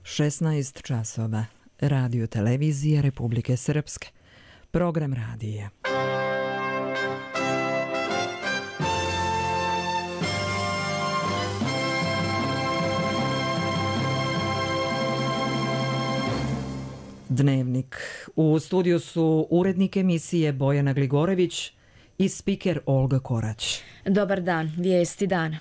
16 časova. Radio televizije Republike Srpske. Program radija. Dnevnik. U studiju su urednik emisije Bojana Gligorević i spiker Olga Korać. Dobar dan, vijesti dana.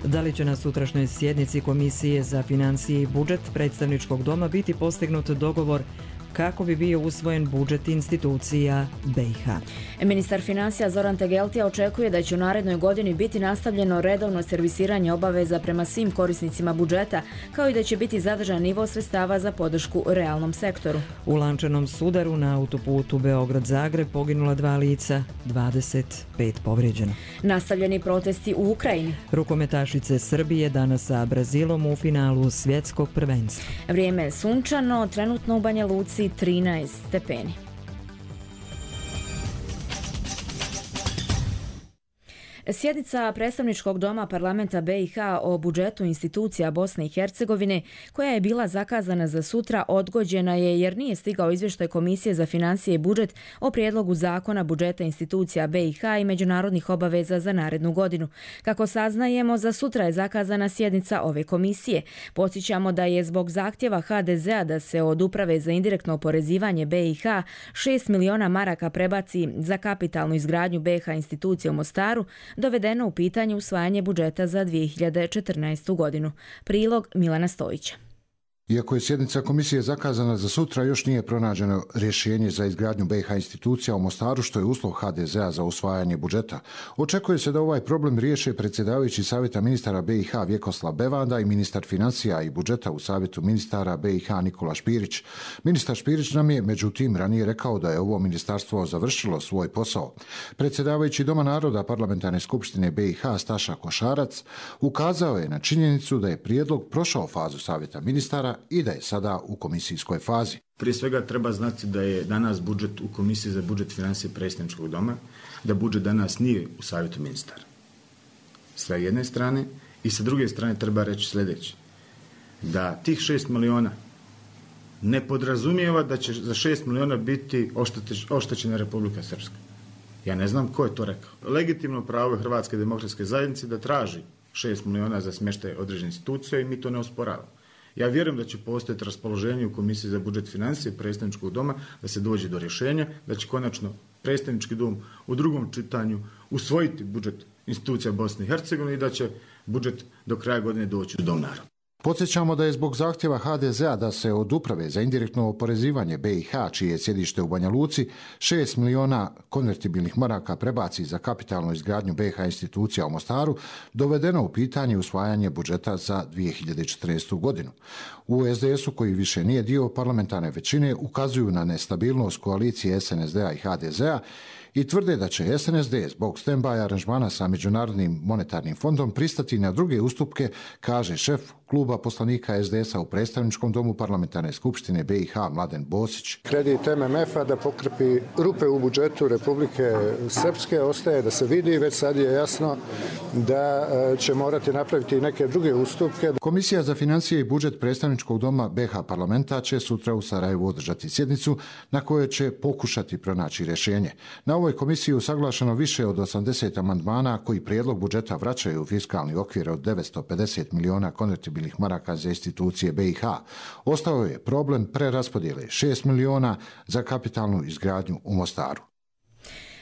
Da li će na sutrašnjoj sjednici Komisije za financije i budžet predstavničkog doma biti postignut dogovor kako bi bio usvojen budžet institucija BiH? Ministar financija Zoran Tegeltija očekuje da će u narednoj godini biti nastavljeno redovno servisiranje obaveza prema svim korisnicima budžeta, kao i da će biti zadržan nivo sredstava za podršku realnom sektoru. U lančanom sudaru na autoputu Beograd-Zagreb poginula 2 lica, 25 povrijeđeno. Nastavljeni protesti u Ukrajini. Rukometašice Srbije danas sa Brazilom u finalu svjetskog prvenstva. Vrijeme je sunčano, trenutno u Banja Luci 13 stepeni. Sjednica predstavničkog doma parlamenta BiH o budžetu institucija Bosne i Hercegovine, koja je bila zakazana za sutra, odgođena je jer nije stigao izvještaj Komisije za financije i budžet o prijedlogu zakona budžeta institucija BiH i međunarodnih obaveza za narednu godinu. Kako saznajemo, za sutra je zakazana sjednica ove komisije. Podsjećamo da je zbog zahtjeva HDZ-a da se od Uprave za indirektno oporezivanje BiH 6 miliona maraka prebaci za kapitalnu izgradnju BiH institucije u Mostaru, dovedeno u pitanje usvajanje budžeta za 2014. godinu. Prilog Milana Stojića. Iako je sjednica komisije zakazana za sutra, još nije pronađeno rješenje za izgradnju BiH institucija u Mostaru, što je uslov HDZ-a za usvajanje budžeta. Očekuje se da ovaj problem riješe predsjedavajući Savjeta ministara BiH Vjekoslav Bevanda i ministar financija i budžeta u Savjetu ministara BiH Nikola Špirić. Ministar Špirić nam je međutim ranije rekao da je ovo ministarstvo završilo svoj posao. Predsjedavajući Doma naroda Parlamentarne skupštine BiH Staša Košarac ukazao je na činjenicu da je prijedlog prošao fazu Savjeta ministara i da je sada u komisijskoj fazi. Prije svega treba znati da je danas budžet u Komisiji za budžet financije predstavničkog doma, da budžet danas nije u Savjetu ministara. Sa jedne strane i sa druge strane treba reći sljedeće. Da tih 6 miliona ne podrazumijeva da će za 6 miliona biti oštećena Republika Srpska. Ja ne znam ko je to rekao. Legitimno pravo Hrvatske demokratske zajednice da traži 6 miliona za smještaj određene institucije i mi to ne osporavamo. Ja vjerujem da će postojati raspoloženje u Komisiji za budžet financije predstavničkog doma da se dođe do rješenja, da će konačno predstavnički dom u drugom čitanju usvojiti budžet institucija Bosne i Hercegovine i da će budžet do kraja godine doći u Dom naroda. Podsjećamo da je zbog zahtjeva HDZ-a da se od Uprave za indirektno oporezivanje BiH, čije je sjedište u Banja Luci, 6 miliona konvertibilnih maraka prebaci za kapitalnu izgradnju BiH institucija u Mostaru, dovedeno u pitanje usvajanje budžeta za 2014. godinu. U SDS-u, koji više nije dio parlamentarne većine, ukazuju na nestabilnost koalicije SNSD-a i HDZ-a i tvrde da će SNSD zbog stand-by aranžmana sa Međunarodnim monetarnim fondom pristati na druge ustupke, kaže šef kluba poslanika SDS-a u predstavničkom domu parlamentarne skupštine BiH Mladen Bosić. Kredit MMF-a da pokrpi rupe u budžetu Republike Srpske ostaje da se vidi, već sad je jasno da će morati napraviti neke druge ustupke. Komisija za financije i budžet predstavničkog doma BiH parlamenta će sutra u Sarajevu održati sjednicu na kojoj će pokušati pronaći rješenje. Na ovoj komisiji je usaglašeno više od 80 amandmana koji prijedlog budžeta vraćaju u fiskalni okvir od 950 miliona konvertibilnih maraka za institucije BiH. Ostao je problem preraspodjele 6 miliona za kapitalnu izgradnju u Mostaru.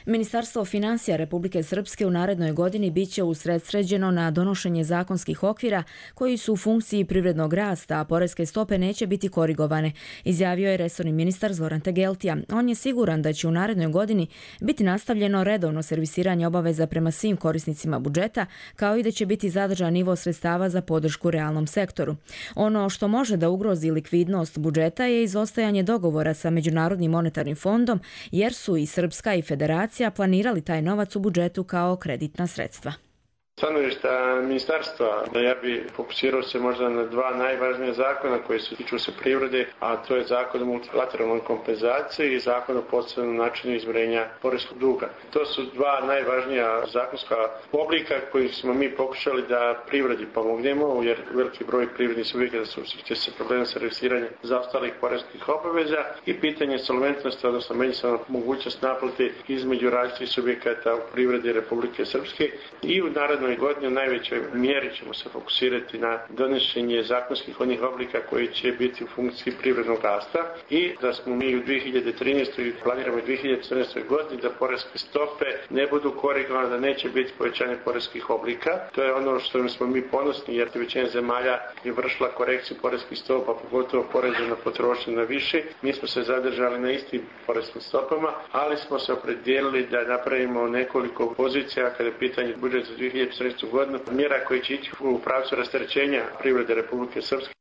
Ministarstvo financija Republike Srpske u narednoj godini biće usredsređeno na donošenje zakonskih okvira koji su u funkciji privrednog rasta, a poreske stope neće biti korigovane, izjavio je resorni ministar Zoran Tegeltija. On je siguran da će u narednoj godini biti nastavljeno redovno servisiranje obaveza prema svim korisnicima budžeta, kao i da će biti zadržan nivo sredstava za podršku realnom sektoru. Ono što može da ugrozi likvidnost budžeta je izostajanje dogovora sa Međunarodnim monetarnim fondom, jer su i Srpska i Federacija planirali taj novac u budžetu kao kreditna sredstva. Stanovišta ministarstva, ja bi fokusirao se možda na dva najvažnija zakona koji se tiču se privrede, a to je zakon o multilateralnoj kompenzaciji i zakon o posebnom načinu izmirenja poreskog duga. To su dva najvažnija zakonska oblika koji smo mi pokušali da privredi pomognemo, jer veliki broj privrednih subjekata susreće se problem sa regresiranjem zaostalih poreskih obaveza i pitanje solventnosti, odnosno međusobna mogućnost naplate između različitih subjekata u privredi Republike Srpske i u narednoj godini u najvećoj mjeri ćemo se fokusirati na donošenje zakonskih onih oblika koji će biti u funkciji privrednog rasta i da smo mi u 2013. i planiramo u 2014. godini da poreske stope ne budu korigovane, da neće biti povećanje poreskih oblika. To je ono što smo mi ponosni jer većina zemalja je vršila korekciju poreskih stopa, pogotovo poreza na potrošnju na više. Mi smo se zadržali na istim poreskim stopama, ali smo se opredijelili da napravimo nekoliko pozicija kada je pitanje budžeta za 2014. godinu, mjera koji će ići u pravcu rasterećenja privrede Republike Srpske.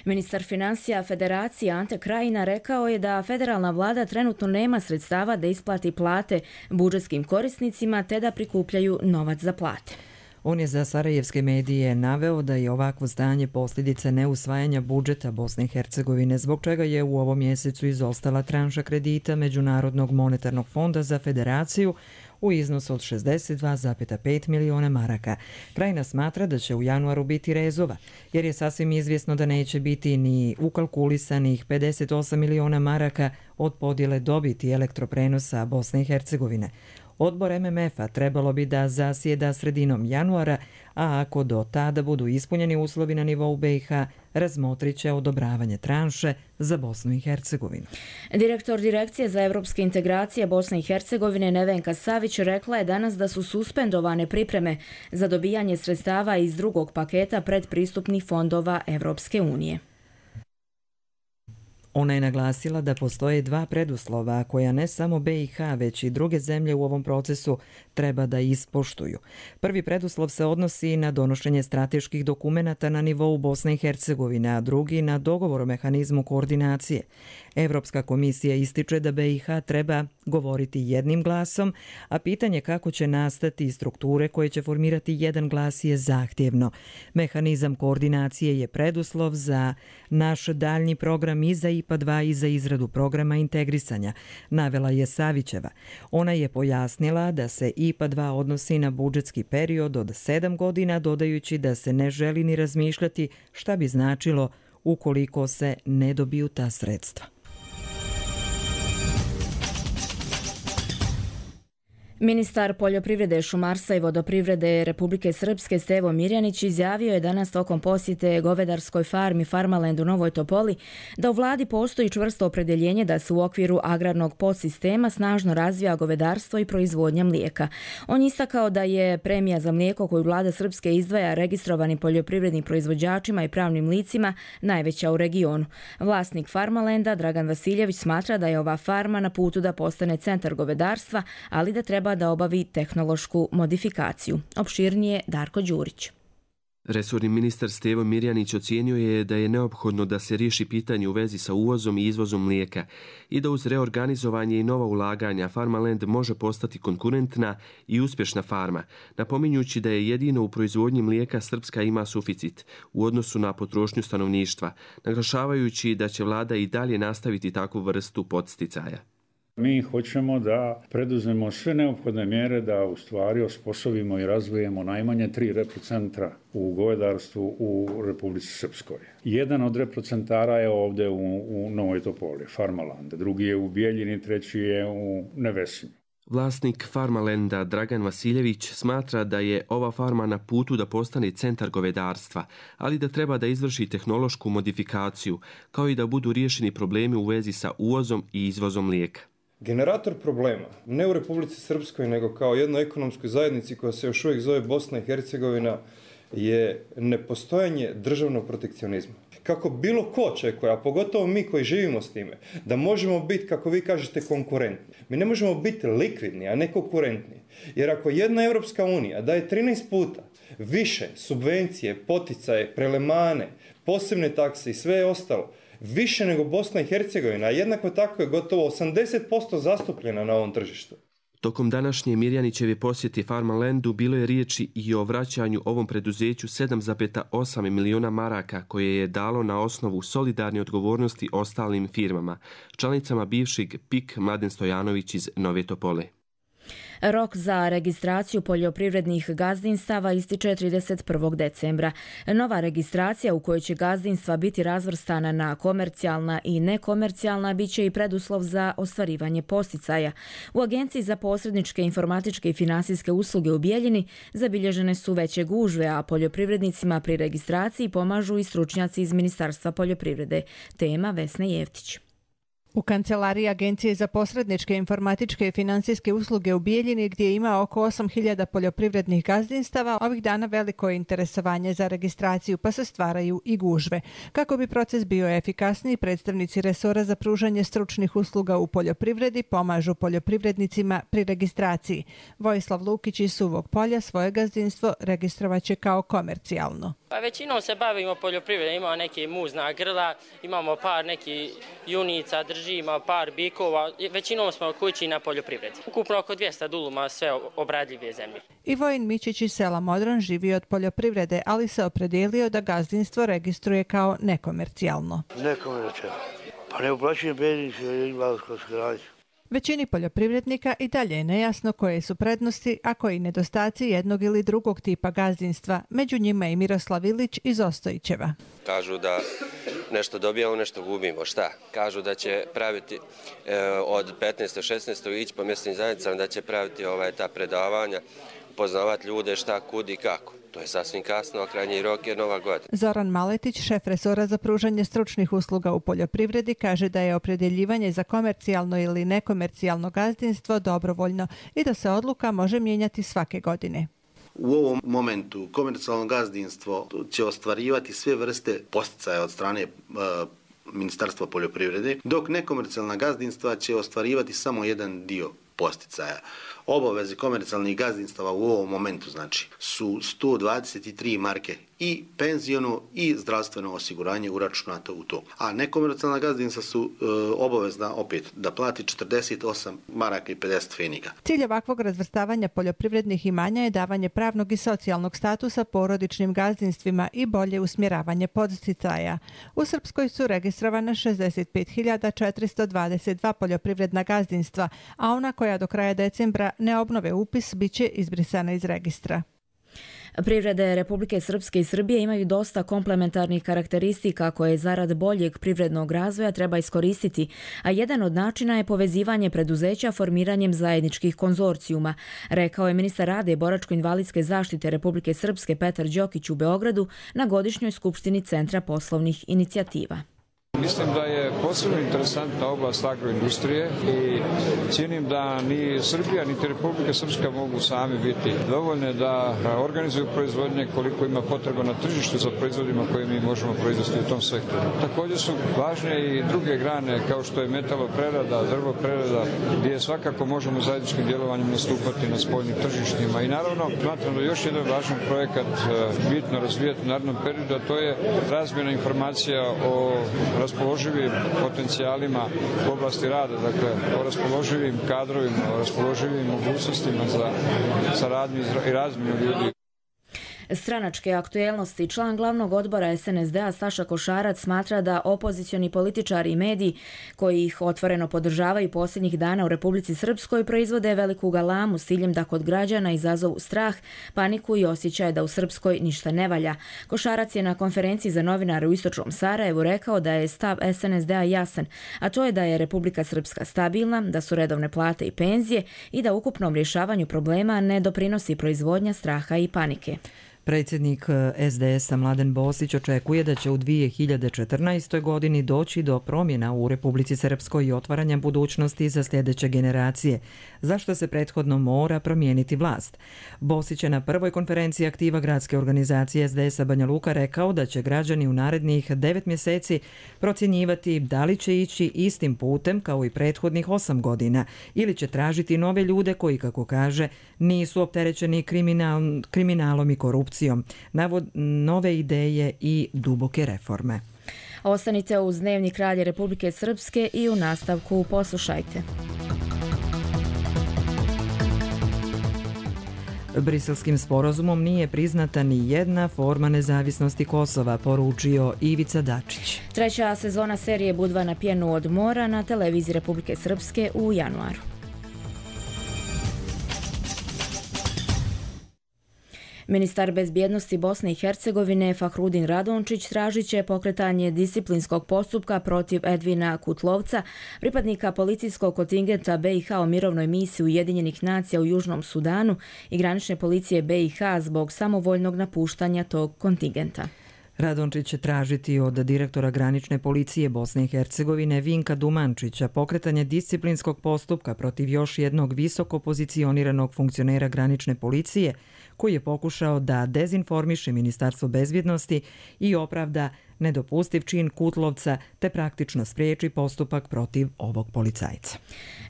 Ministar financija Federacije Ante Krajina rekao je da federalna vlada trenutno nema sredstava da isplati plate budžetskim korisnicima te da prikupljaju novac za plate. On je za sarajevske medije naveo da je ovakvo stanje posljedica neusvajanja budžeta Bosne i Hercegovine, zbog čega je u ovom mjesecu izostala tranša kredita Međunarodnog monetarnog fonda za federaciju u iznosu od 62,5 miliona maraka. Krajina smatra da će u januaru biti rezova, jer je sasvim izvjesno da neće biti ni ukalkulisanih 58 miliona maraka od podjele dobiti elektroprenosa Bosne i Hercegovine. Odbor MMF-a trebalo bi da zasjeda sredinom januara, a ako do tada budu ispunjeni uslovi na nivou BiH, razmotrit će odobravanje tranše za Bosnu i Hercegovinu. Direktor Direkcije za evropske integracije Bosne i Hercegovine Nevenka Savić rekla je danas da su suspendovane pripreme za dobijanje sredstava iz drugog paketa predpristupnih fondova Evropske unije. Ona je naglasila da postoje dva preduslova koja ne samo BiH, već i druge zemlje u ovom procesu treba da ispoštuju. Prvi preduslov se odnosi na donošenje strateških dokumenata na nivou Bosne i Hercegovine, a drugi na dogovor o mehanizmu koordinacije. Evropska komisija ističe da BiH treba govoriti jednim glasom, a pitanje kako će nastati strukture koje će formirati jedan glas je zahtjevno. Mehanizam koordinacije je preduslov za naš daljnji program i za IPA 2 i za izradu programa integrisanja, navela je Savićeva. Ona je pojasnila da se IPA 2 odnosi na budžetski period od 7 godina, dodajući da se ne želi ni razmišljati šta bi značilo ukoliko se ne dobiju ta sredstva. Ministar poljoprivrede, šumarstva i vodoprivrede Republike Srpske Stevo Mirjanić izjavio je danas tokom posjete govedarskoj farmi Farmaland u Novoj Topoli da u vladi postoji čvrsto opredjeljenje da se u okviru agrarnog podsistema snažno razvija govedarstvo i proizvodnja mlijeka. On istakao da je premija za mlijeko koju vlada Srpske izdvaja registrovanim poljoprivrednim proizvođačima i pravnim licima najveća u regionu. Vlasnik Farmalanda Dragan Vasiljević smatra da je ova farma na putu da postane centar govedarstva, ali da treba da obavi tehnološku modifikaciju. Opširnije Darko Đurić. Resorni ministar Stevo Mirjanić ocijenio je da je neophodno da se riješi pitanje u vezi sa uvozom i izvozom mlijeka i da uz reorganizovanje i nova ulaganja Farmaland može postati konkurentna i uspješna farma, napominjući da je jedino u proizvodnji mlijeka Srpska ima suficit u odnosu na potrošnju stanovništva, naglašavajući da će vlada i dalje nastaviti takvu vrstu podsticaja. Mi hoćemo da preduzmemo sve neophodne mjere da u stvari osposobimo i razvijemo najmanje 3 reprocentra u govedarstvu u Republici Srpskoj. Jedan od reprocentara je ovdje u Novoj Topoli, Farmalande, drugi je u Bijeljini, treći je u Nevesinju. Vlasnik Farmalanda Dragan Vasiljević smatra da je ova farma na putu da postane centar govedarstva, ali da treba da izvrši tehnološku modifikaciju, kao i da budu riješeni problemi u vezi sa uvozom i izvozom mlijeka. Generator problema, ne u Republici Srpskoj, nego kao jednoj ekonomskoj zajednici koja se još uvijek zove Bosna i Hercegovina, je nepostojanje državnog protekcionizma. Kako bilo ko očekuje, a pogotovo mi koji živimo s time, da možemo biti, kako vi kažete, konkurentni. Mi ne možemo biti likvidni, a ne konkurentni. Jer ako jedna Europska unija daje 13 puta više subvencije, poticaje, prelemane, posebne takse i sve ostalo, više nego Bosna i Hercegovina, a jednako tako je gotovo 80% zastupljena na ovom tržištu. Tokom današnje Mirjanićeve posjete Farmalandu bilo je riječi i o vraćanju ovom preduzeću 7,8 miliona maraka koje je dalo na osnovu solidarne odgovornosti ostalim firmama, članicama bivšeg PIK Mladen Stojanović iz Nove Topole. Rok za registraciju poljoprivrednih gazdinstava ističe 31. decembra. Nova registracija u kojoj će gazdinstva biti razvrstana na komercijalna i nekomercijalna bit će i preduslov za ostvarivanje posticaja. U Agenciji za posredničke informatičke i finansijske usluge u Bijeljini zabilježene su veće gužve, a poljoprivrednicima pri registraciji pomažu i stručnjaci iz Ministarstva poljoprivrede. Tema Vesne Jevtić. U kancelariji Agencije za posredničke informatičke i finansijske usluge u Bijeljini, gdje ima oko 8.000 poljoprivrednih gazdinstava, ovih dana veliko je interesovanje za registraciju, pa se stvaraju i gužve. Kako bi proces bio efikasniji, predstavnici resora za pružanje stručnih usluga u poljoprivredi pomažu poljoprivrednicima pri registraciji. Vojislav Lukić iz Suvog Polja svoje gazdinstvo registrovaće kao komercijalno. Pa većinom se bavimo poljoprivredom, imamo neke muzna grla, imamo par neki junica, držimo par bikova, većinom smo kući na poljoprivredi. Ukupno oko 200 duluma sve obradljive zemlje. I Vojin Mičić iz sela Modran živi od poljoprivrede, ali se opredijelio da gazdinstvo registruje kao nekomercijalno. Nekomercijalno. Pa ne uplaćujem penzijsko i invalidsko osiguranje. Većini poljoprivrednika i dalje je nejasno koje su prednosti, a koji nedostaci jednog ili drugog tipa gazdinstva. Među njima i Miroslav Ilić iz Ostojićeva. Kažu da nešto dobijamo, nešto gubimo. Šta? Kažu da će praviti od 15. 16. ići po mjesnim zajednicama, da će praviti ta predavanja, upoznavati ljude šta, kud i kako. To je sasvim kasno, a krajnji rok je Nova godina. Zoran Maletić, šef resora za pružanje stručnih usluga u poljoprivredi, kaže da je opredjeljivanje za komercijalno ili nekomercijalno gazdinstvo dobrovoljno i da se odluka može mijenjati svake godine. U ovom momentu komercijalno gazdinstvo će ostvarivati sve vrste posticaja od strane Ministarstva poljoprivrede, dok nekomercijalna gazdinstva će ostvarivati samo jedan dio posticaja. Obaveze komercijalnih gazdinstava u ovom momentu su 123 marke i penziono i zdravstveno osiguranje uračunato u to. A nekomercijalna gazdinstva su obavezna opet da plati 48 maraka i 50 fenika. Cilj ovakvog razvrstavanja poljoprivrednih imanja je davanje pravnog i socijalnog statusa porodičnim gazdinstvima i bolje usmjeravanje podsticaja. U Srpskoj su registrovane 65.422 poljoprivredna gazdinstva, a ona koja do kraja decembra ne obnove upis bit će izbrisana iz registra. Privrede Republike Srpske i Srbije imaju dosta komplementarnih karakteristika koje zarad boljeg privrednog razvoja treba iskoristiti, a jedan od načina je povezivanje preduzeća formiranjem zajedničkih konzorcijuma, rekao je ministar rada i boračko-invalidske zaštite Republike Srpske Petar Đokić u Beogradu na godišnjoj skupštini Centra poslovnih inicijativa. Mislim da je posebno interesantna oblast agroindustrije i cijenim da ni Srbija niti Republika Srpska mogu sami biti dovoljne da organizuju proizvodnje koliko ima potreba na tržištu za proizvodima koje mi možemo proizvesti u tom sektoru. Također su važne i druge grane kao što je metaloprerada, drvoprerada, gdje svakako možemo zajedničkim djelovanjem nastupati na spoljnim tržištima. I naravno, smatram da još jedan važan projekat bitno razvijati u narednom periodu, a to je razmjena informacija o raspoloživim potencijalima u oblasti rada, dakle o raspoloživim kadrovima, o raspoloživim mogućnostima za saradnju i razmjenu ljudi. Stranačke aktuelnosti. Član glavnog odbora SNSD-a Saša Košarac smatra da opozicioni političari i mediji koji ih otvoreno podržavaju posljednjih dana u Republici Srpskoj proizvode veliku galamu s ciljem da kod građana izazovu strah, paniku i osjećaj da u Srpskoj ništa ne valja. Košarac je na konferenciji za novinare u Istočnom Sarajevu rekao da je stav SNSD-a jasan, a to je da je Republika Srpska stabilna, da su redovne plate i penzije i da ukupnom rješavanju problema ne doprinosi proizvodnja straha i panike. Predsjednik SDS-a Mladen Bosić očekuje da će u 2014. godini doći do promjena u Republici Srpskoj i otvaranja budućnosti za sljedeće generacije, zašto se prethodno mora promijeniti vlast. Bosić je na prvoj konferenciji aktiva gradske organizacije SDS-a Banja Luka rekao da će građani u narednih 9 mjeseci procjenjivati da li će ići istim putem kao i prethodnih 8 godina ili će tražiti nove ljude koji, kako kaže, nisu opterećeni kriminalom i korupcijom, nove ideje i duboke reforme. Ostanite uz Dnevnik Radija Republike Srpske i u nastavku poslušajte. Briselskim sporazumom nije priznata ni jedna forma nezavisnosti Kosova, poručio Ivica Dačić. Treća sezona serije Budva na pjenu od mora na televiziji Republike Srpske u januaru. Ministar bezbjednosti Bosne i Hercegovine Fahrudin Radončić tražit će pokretanje disciplinskog postupka protiv Edvina Kutlovca, pripadnika policijskog kontingenta BiH u mirovnoj misiji Ujedinjenih nacija u Južnom Sudanu i granične policije BiH zbog samovoljnog napuštanja tog kontingenta. Radončić će tražiti od direktora granične policije Bosne i Hercegovine Vinka Dumančića pokretanje disciplinskog postupka protiv još jednog visoko pozicioniranog funkcionera granične policije koji je pokušao da dezinformiše Ministarstvo bezbjednosti i opravda nedopustiv čin Kutlovca te praktično spriječi postupak protiv ovog policajca.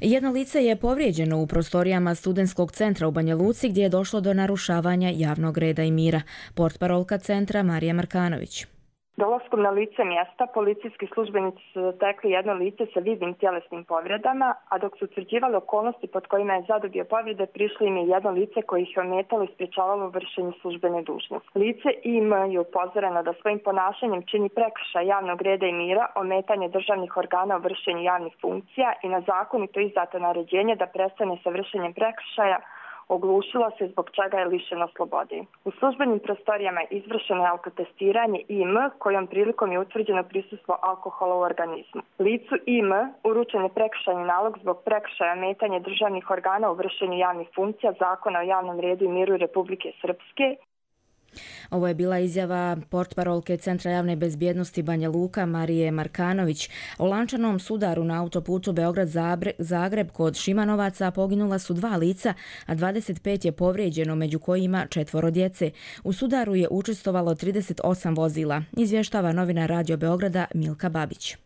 Jedno lice je povrijeđeno u prostorijama studentskog centra u Banja Luci gdje je došlo do narušavanja javnog reda i mira. Portparolka centra Marija Markanović. Dolaskom na lice mjesta policijski službenici su zatekli jedno lice sa vidnim tjelesnim povredama, a dok su utvrđivali okolnosti pod kojima je zadobio povrede, prišlo im je jedno lice koje ih je ometalo i sprječavalo vršenje službene dužnosti. Lice IM je upozoreno da svojim ponašanjem čini prekršaj javnog reda i mira, ometanje državnih organa u vršenju javnih funkcija i na zakonito izdato naređenje da prestane sa vršenjem prekršaja, oglušilo se zbog čega je lišeno slobode. U službenim prostorijama izvršeno je alkotestiranje IM, kojom prilikom je utvrđeno prisustvo alkohola u organizmu. Licu IM uručen je prekršajni nalog zbog prekršaja ometanja državnih organa u vršenju javnih funkcija Zakona o javnom redu i miru Republike Srpske. Ovo je bila izjava portparolke Centra javne bezbjednosti Banja Luka Marije Markanović. U lančanom sudaru na autoputu Beograd-Zagreb kod Šimanovaca poginula su 2 lica, a 25 je povrijeđeno, među kojima 4 djece. U sudaru je učestvovalo 38 vozila, izvještava novinar Radio Beograda Milka Babić.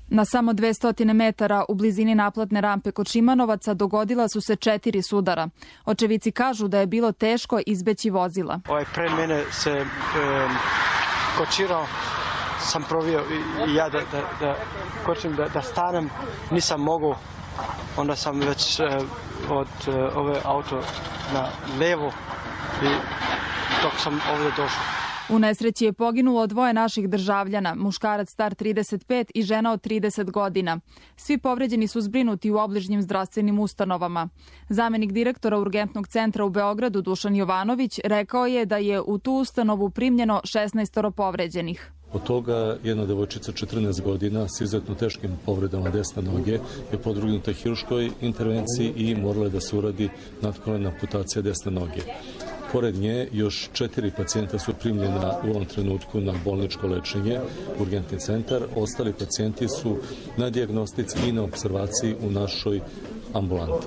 Na samo 200 metara u blizini naplatne rampe kod Šimanovaca dogodila su se 4 sudara. Očevici kažu da je bilo teško izbeći vozila. Pre mene se kočirao, sam provio i ja da kočim, da stanem, nisam mogao. Onda sam već od ove auto na levo i dok sam ovdje došao. U nesreći je poginulo 2 naših državljana, muškarac star 35 i žena od 30 godina. Svi povređeni su zbrinuti u obližnjim zdravstvenim ustanovama. Zamenik direktora urgentnog centra u Beogradu Dušan Jovanović rekao je da je u tu ustanovu primljeno 16 povređenih. Od toga jedna devojčica 14 godina s izuzetno teškim povredama desne noge je podvrgnuta hirurškoj intervenciji i morala da se uradi natkolena amputacija desne noge. Pored nje još 4 pacijenta su primljena u ovom trenutku na bolničko lečenje, urgentni centar. Ostali pacijenti su na dijagnostici i na observaciji u našoj ambulanti.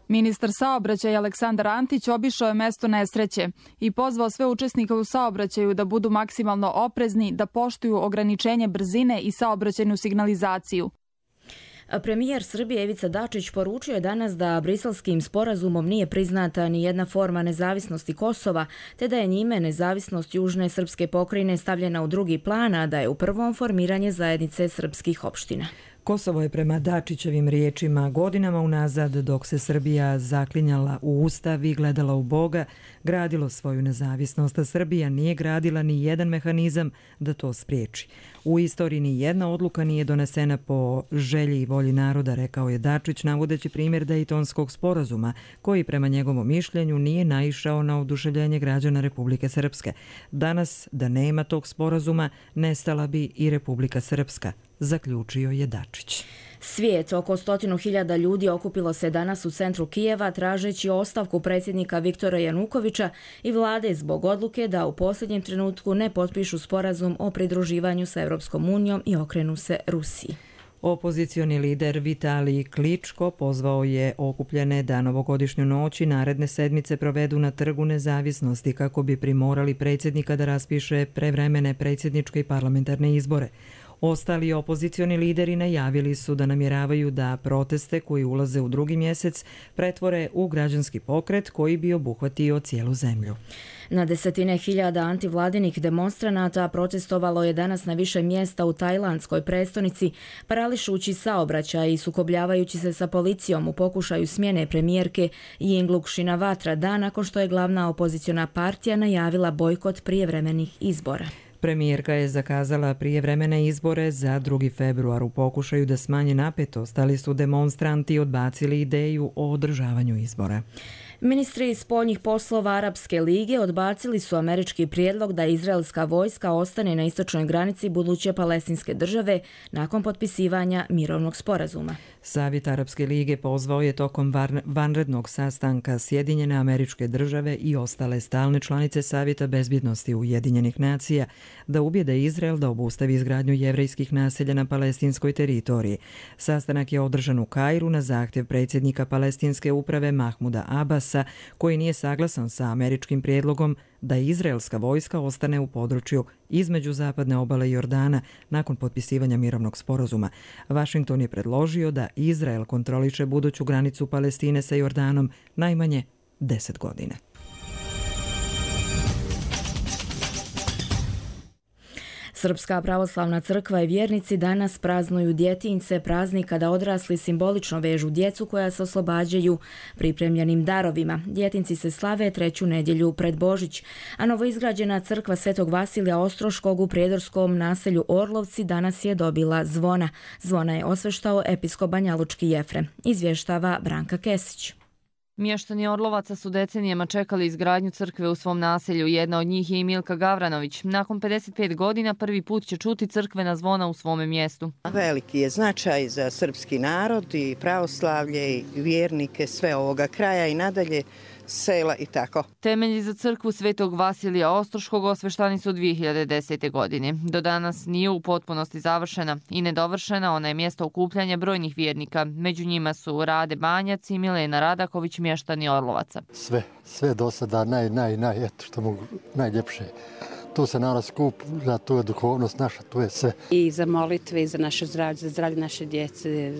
Ministar saobraćaja Aleksandar Antić obišao je mesto nesreće i pozvao sve učesnike u saobraćaju da budu maksimalno oprezni, da poštuju ograničenje brzine i saobraćajnu signalizaciju. Premijer Srbije Ivica Dačić poručio je danas da Briselskim sporazumom nije priznata ni jedna forma nezavisnosti Kosova, te da je njime nezavisnost južne srpske pokrajine stavljena u drugi plan, a da je u prvom formiranje zajednice srpskih opština. Kosovo je prema Dačićevim riječima godinama unazad, dok se Srbija zaklinjala u Ustav i gledala u Boga, gradilo svoju nezavisnost, a Srbija nije gradila ni jedan mehanizam da to spriječi. U istoriji ni jedna odluka nije donesena po želji i volji naroda, rekao je Dačić, navodeći primjer Dejtonskog sporazuma, koji prema njegovom mišljenju nije naišao na oduševljenje građana Republike Srpske. Danas, da nema tog sporazuma, nestala bi i Republika Srpska, zaključio je Dačić. Svijet, oko 100.000 ljudi okupilo se danas u centru Kijeva tražeći ostavku predsjednika Viktora Janukovića i vlade zbog odluke da u posljednjem trenutku ne potpišu sporazum o pridruživanju sa Europskom unijom i okrenu se Rusiji. Opozicioni lider Vitalij Kličko pozvao je okupljene da novogodišnju noć i naredne sedmice provedu na Trgu nezavisnosti kako bi primorali predsjednika da raspiše prevremene predsjedničke i parlamentarne izbore. Ostali opozicioni lideri najavili su da namjeravaju da proteste koji ulaze u drugi mjesec pretvore u građanski pokret koji bi obuhvatio cijelu zemlju. Na desetine hiljada antivladinih demonstranata protestovalo je danas na više mjesta u tajlandskoj prestonici, parališući saobraćaj i sukobljavajući se sa policijom u pokušaju smjene premijerke Yingluck Shinawatra dan nakon što je glavna opoziciona partija najavila bojkot prijevremenih izbora. Premijerka je zakazala prijevremene izbore za 2. februar u pokušaju da smanje napetost, ali su demonstranti odbacili ideju o održavanju izbora. Ministri spoljnih poslova Arapske lige odbacili su američki prijedlog da izraelska vojska ostane na istočnoj granici buduće palestinske države nakon potpisivanja mirovnog sporazuma. Savjet Arapske lige pozvao je tokom vanrednog sastanka Sjedinjene Američke Države i ostale stalne članice Savjeta bezbjednosti Ujedinjenih nacija da ubijede Izrael da obustavi izgradnju jevrejskih naselja na palestinskoj teritoriji. Sastanak je održan u Kairu na zahtjev predsjednika palestinske uprave Mahmuda Abasa, koji nije saglasan sa američkim prijedlogom da izraelska vojska ostane u području između zapadne obale Jordana nakon potpisivanja mirovnog sporazuma. Washington je predložio da Izrael kontroliše buduću granicu Palestine sa Jordanom najmanje 10 godina. Srpska pravoslavna crkva i vjernici danas praznuju djetinjce, praznik kada odrasli simbolično vežu djecu koja se oslobađaju pripremljenim darovima. Djetinjci se slave 3. nedjelju pred Božić, a novoizgrađena crkva Svetog Vasilija Ostroškog u prijedorskom naselju Orlovci danas je dobila zvona. Zvona je osveštao episkop Banjalučki Jefrem. Izvještava Branka Kesić. Mještani Orlovaca su decenijama čekali izgradnju crkve u svom naselju. Jedna od njih je i Milka Gavranović. Nakon 55 godina prvi put će čuti crkvena zvona u svome mjestu. Veliki je značaj za srpski narod i pravoslavlje i vjernike sve ovoga kraja i nadalje sela i tako. Temelji za crkvu Svetog Vasilija Ostroškog osveštani su 2010. godine. Do danas nije u potpunosti završena i nedovršena, ona je mjesto okupljanja brojnih vjernika. Među njima su Rade Banjac i Milena Radaković, mještani Orlovaca. Sve do sada eto što mogu najljepše. Tu se narod skuplja, tu je duhovnost naša, tu je sve. I za molitve, i za naše zdravlje, za zdravlje naše djece.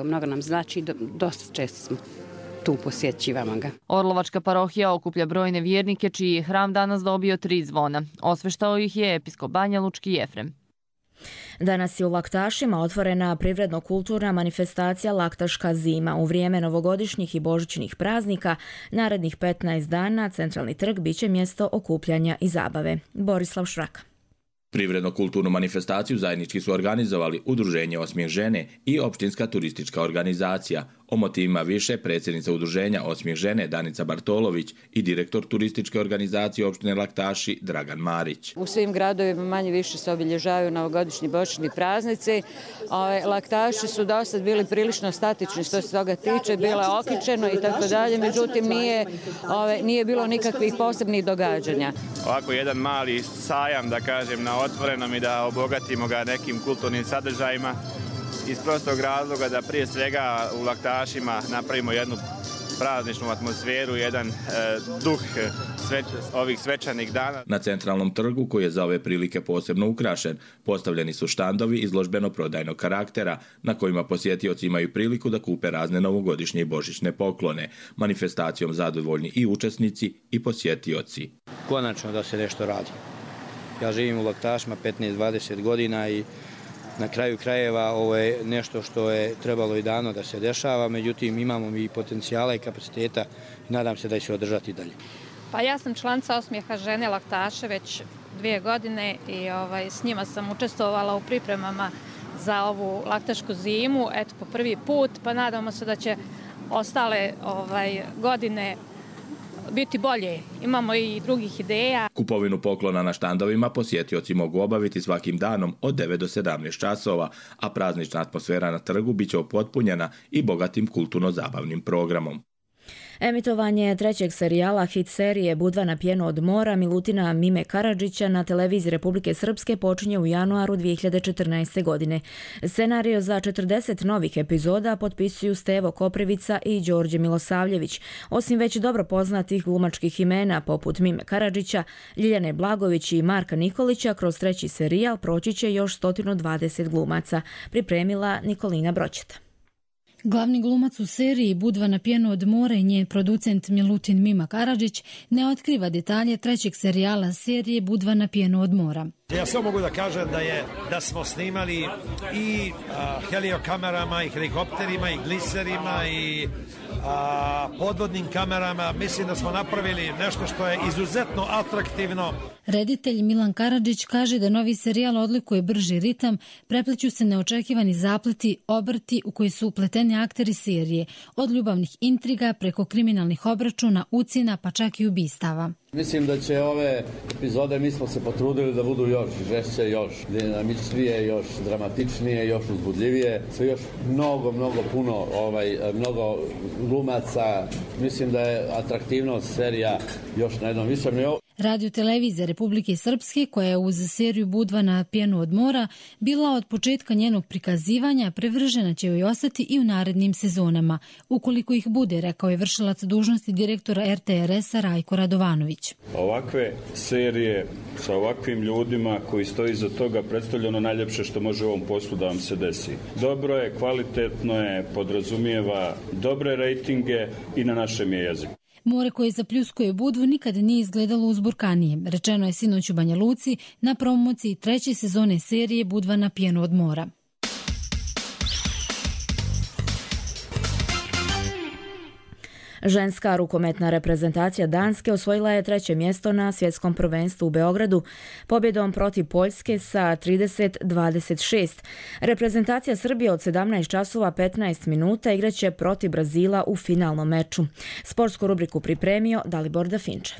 Mnogo nam znači, dosta često smo tu posjećivamo ga. Orlovačka parohija okuplja brojne vjernike čiji je hram danas dobio 3 zvona. Osveštao ih je episkop Banjalučki Jefrem. Danas je u Laktašima otvorena privredno-kulturna manifestacija Laktaška zima. U vrijeme novogodišnjih i božićnih praznika, narednih 15 dana, centralni trg biće mjesto okupljanja i zabave. Borislav Šraka. Privredno-kulturnu manifestaciju zajednički su organizovali Udruženje Osmijeh žene i Općinska turistička organizacija. O motivima više predsjednica Udruženja Osmijeh žene Danica Bartolović i direktor turističke organizacije opštine Laktaši Dragan Marić. U svim gradovima manje više se obilježavaju novogodišnji božićni praznici. Laktaši su do sad bili prilično statični što se toga tiče, bilo je okičeno i tako dalje, međutim nije bilo nikakvih posebnih događanja. Ovako jedan mali sajam, da kažem, na otvorenom i da obogatimo ga nekim kulturnim sadržajima iz prostog razloga da prije svega u Laktašima napravimo jednu prazničnu atmosferu, jedan duh ovih svečanih dana. Na centralnom trgu, koji je za ove prilike posebno ukrašen, postavljeni su štandovi izložbeno-prodajnog karaktera na kojima posjetioci imaju priliku da kupe razne novogodišnje i božićne poklone. Manifestacijom zadovoljni i učesnici i posjetioci. Konačno da se nešto radi. Ja živim u Laktašima 15-20 godina i na kraju krajeva ovo je nešto što je trebalo i davno da se dešava, međutim imamo i potencijala i kapaciteta i nadam se da će se održati dalje. Pa ja sam članica Osmijeha žene Laktaše već 2 godine i s njima sam učestvovala u pripremama za ovu laktašku zimu, eto po prvi put, pa nadamo se da će ostale godine biti bolje. Imamo i drugih ideja. Kupovinu poklona na štandovima posjetioci mogu obaviti svakim danom od 9 do 17 časova, a praznična atmosfera na trgu biće upotpunjena i bogatim kulturno-zabavnim programom. Emitovanje trećeg serijala hit serije Budva na pjenu od mora Milutina Mime Karadžića na televiziji Republike Srpske počinje u januaru 2014. godine. Scenario za 40 novih epizoda potpisuju Stevo Koprivica i Đorđe Milosavljević. Osim već dobro poznatih glumačkih imena poput Mime Karadžića, Ljiljane Blagović i Marka Nikolića, kroz treći serijal proći će još 120 glumaca, pripremila Nikolina Broćeta. Glavni glumac u seriji Budva na pjenu od mora i njen producent Milutin Mima Karadžić ne otkriva detalje trećeg serijala serije Budva na pjenu od mora. Ja samo mogu da kažem da smo snimali i heliokamerama i helikopterima i gliserima i podvodnim kamerama. Mislim da smo napravili nešto što je izuzetno atraktivno. Reditelj Milan Karadžić kaže da novi serijal odlikuje brži ritam, prepliću se neočekivani zapleti, obrti u koji su upleteni akteri serije, od ljubavnih intriga preko kriminalnih obračuna, ucjena pa čak i ubistava. Mislim da će ove epizode, mi smo se potrudili da budu još žešće, još dinamičnije, još dramatičnije, još uzbudljivije, sve još mnogo puno, mnogo glumaca. Mislim da je atraktivnost serija još na jednom višem nivou. Radio televizija Republike Srpske, koja je uz seriju Budva na pjenu od mora bila od početka njenog prikazivanja, privržena će joj ostati i u narednim sezonama, ukoliko ih bude, rekao je vršilac dužnosti direktora RTRS-a Rajko Radovanović. Ovakve serije sa ovakvim ljudima koji stoji iza toga predstavlja ono najljepše što može u ovom poslu da vam se desi. Dobro je, kvalitetno je, podrazumijeva dobre rejtinge i na našem je jeziku. More koje zapljuskuje Budvu nikad nije izgledalo uzburkanije, rečeno je sinoć u Banja Luci na promociji treće sezone serije Budva na pjenu od mora. Ženska rukometna reprezentacija Danske osvojila je treće mjesto na svjetskom prvenstvu u Beogradu pobjedom protiv Poljske sa 30-26. Reprezentacija Srbije od 17 časova 15 minuta igraće protiv Brazila u finalnom meču. Sportsku rubriku pripremio Dalibor Dafinčev.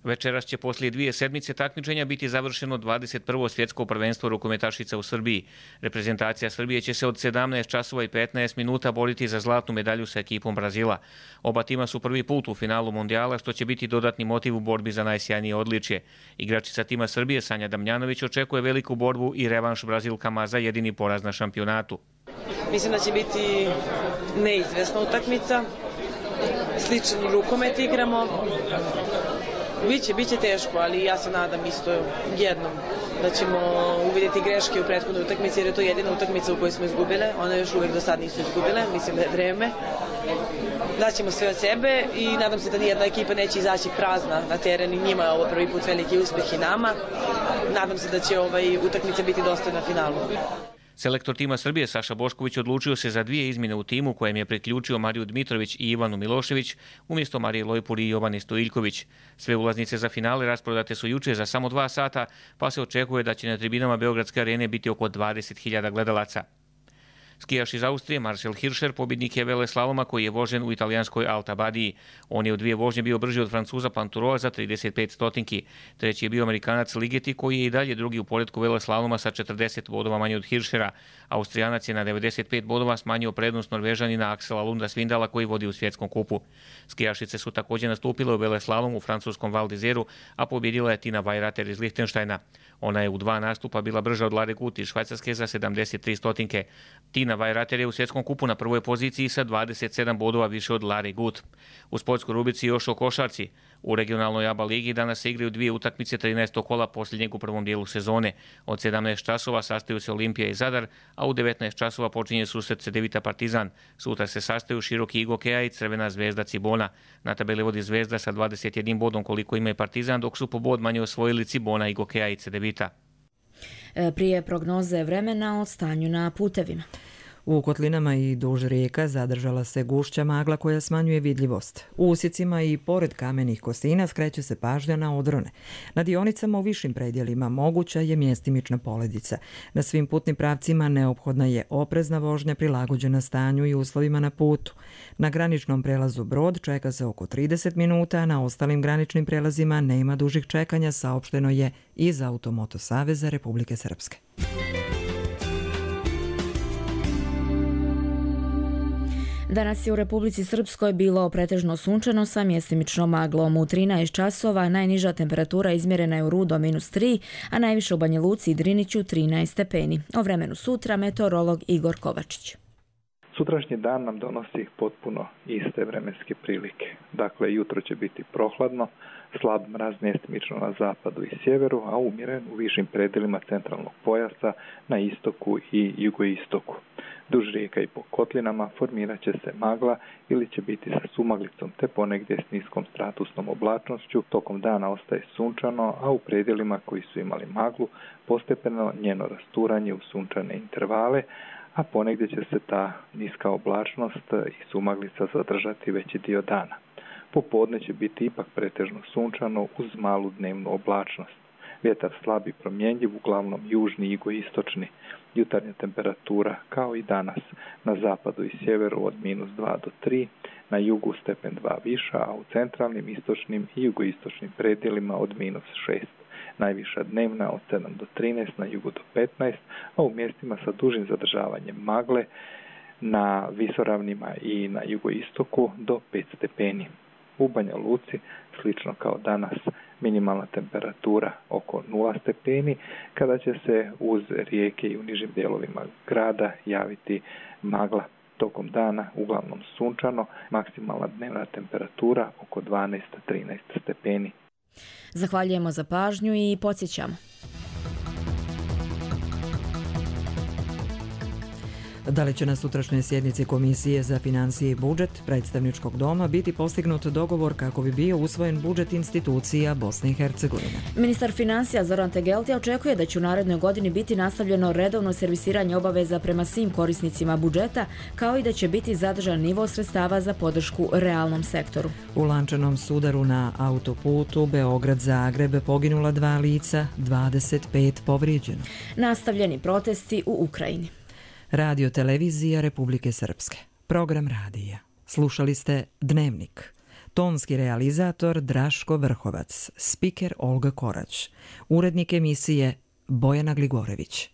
Večeras će poslije 2 sedmice takmičenja biti završeno 21. svjetsko prvenstvo rukometašica u Srbiji. Reprezentacija Srbije će se od 17 časova i 15 minuta boriti za zlatnu medalju sa ekipom Brazila. Oba tima su prvi put u finalu mundijala, što će biti dodatni motiv u borbi za najsjajnije odličje. Igračica tima Srbije Sanja Damjanović očekuje veliku borbu i revanš Brazilkama za jedini poraz na šampionatu. Mislim da će biti neizvesna utakmica. Sličan rukomet igramo. Biće teško, ali ja se nadam isto jednom da ćemo uvidjeti greške u prethodnoj utakmici, jer je to jedina utakmica u kojoj smo izgubile. One još uvijek do sad nisu izgubile, mislim da je vreme. Daćemo sve od sebe i nadam se da nijedna ekipa neće izaći prazna na teren i njima je ovo prvi put veliki uspjeh i nama. Nadam se da će utakmica biti dostojna finalu. Selektor tima Srbije Saša Bošković odlučio se za 2 izmjene u timu kojem je priključio Mariju Dmitrović i Ivanu Milošević umjesto Marije Lojpuri i Jovane Stojiljković. Sve ulaznice za finale rasprodate su juče za samo 2 sata, pa se očekuje da će na tribinama Beogradske arene biti oko 20.000 gledalaca. Skijaš iz Austrije Marcel Hirscher pobjednik je veleslaloma koji je vožen u italijanskoj Alta Badiji. On je u 2 vožnje bio brži od Francuza Planturoa za 35 stotinki. Treći je bio Amerikanac Ligeti koji je i dalje drugi u poretku veleslaloma sa 40 bodova manje od Hirschera. Austrijanac je na 95 bodova smanjio prednost Norvežanina Aksela Lunda Svindala koji vodi u svjetskom kupu. Skijašice su također nastupile u veleslalomu u francuskom Val d'Isère, a pobjedila je Tina Weirater iz Lichtensteina. Ona je u 2 nastupa bila brža od Lare Gut iz Švajcarske za 73 stotinke. Tina Weirater je u svjetskom kupu na prvoj poziciji sa 27 bodova više od Lare Gut. U sportskoj rubrici još o košarci. U regionalnoj ABA ligi danas se igraju 2 utakmice 13. kola posljednjeg u prvom dijelu sezone. Od 17 časova sastaju se Olimpija i Zadar, a u 19 časova počinje susret Cedevita Partizan. Sutra se sastaju Široki Igokeja i Crvena zvezda Cibona. Na tabeli vodi Zvezda sa 21 bodom koliko ima i Partizan, dok su po bod manje osvojili Cibona, Igokeja i Cedevita. Prije prognoze vremena o stanju na putevima. U kotlinama i duž rijeka zadržala se gušća magla koja smanjuje vidljivost. U usjecima i pored kamenih kosina skreće se pažnja na odrone. Na dionicama u višim predjelima moguća je mjestimična poledica. Na svim putnim pravcima neophodna je oprezna vožnja prilagođena stanju i uslovima na putu. Na graničnom prelazu Brod čeka se oko 30 minuta, a na ostalim graničnim prelazima nema dužih čekanja, saopšteno je iz Automoto Saveza Republike Srpske. Danas je u Republici Srpskoj bilo pretežno sunčano sa mjestimičnom maglom. U 13 časova najniža temperatura izmjerena je u Rudo -3, a najviše u Banja Luci i Driniću 13 stepeni. O vremenu sutra meteorolog Igor Kovačić. Sutrašnji dan nam donosi potpuno iste vremenske prilike. Dakle, jutro će biti prohladno, slab mraz mjestimično na zapadu i sjeveru, a umjeren u višim predjelima centralnog pojasa na istoku i jugoistoku. Duž rijeka i po kotlinama formirat će se magla ili će biti sa sumaglicom te ponegdje s niskom stratusnom oblačnošću. Tokom dana ostaje sunčano, a u predjelima koji su imali maglu postepeno njeno rasturanje u sunčane intervale, a ponegdje će se ta niska oblačnost i sumaglica zadržati veći dio dana. Popodne će biti ipak pretežno sunčano uz malu dnevnu oblačnost. Vjetar slab i promjenjiv, uglavnom južni i jugoistočni. Jutarnja temperatura kao i danas na zapadu i sjeveru od -2 do 3, na jugu stepen 2 viša, a u centralnim, istočnim i jugoistočnim predjelima od -6. Najviša dnevna od 7 do 13, na jugu do 15, a u mjestima sa dužim zadržavanjem magle na visoravnima i na jugoistoku do 5 stepeni. U Banja Luci, slično kao danas, minimalna temperatura oko 0 stepeni, kada će se uz rijeke i u nižim dijelovima grada javiti magla. Tokom dana uglavnom sunčano, maksimalna dnevna temperatura oko 12-13 stepeni. Zahvaljujemo za pažnju i podsjećamo. Da li će na sutrašnjoj sjednici Komisije za financije i budžet predstavničkog doma biti postignut dogovor kako bi bio usvojen budžet institucija Bosne i Hercegovine? Ministar financija Zoran Tegeltija očekuje da će u narednoj godini biti nastavljeno redovno servisiranje obaveza prema svim korisnicima budžeta, kao i da će biti zadržan nivo sredstava za podršku realnom sektoru. U lančanom sudaru na autoputu Beograd-Zagreb poginula 2 lica, 25 povrijeđeno. Nastavljeni protesti u Ukrajini. Radio Televizija Republike Srpske. Program radija. Slušali ste Dnevnik. Tonski realizator Draško Vrhovac. Spiker Olga Korać. Urednik emisije Bojana Gligorević.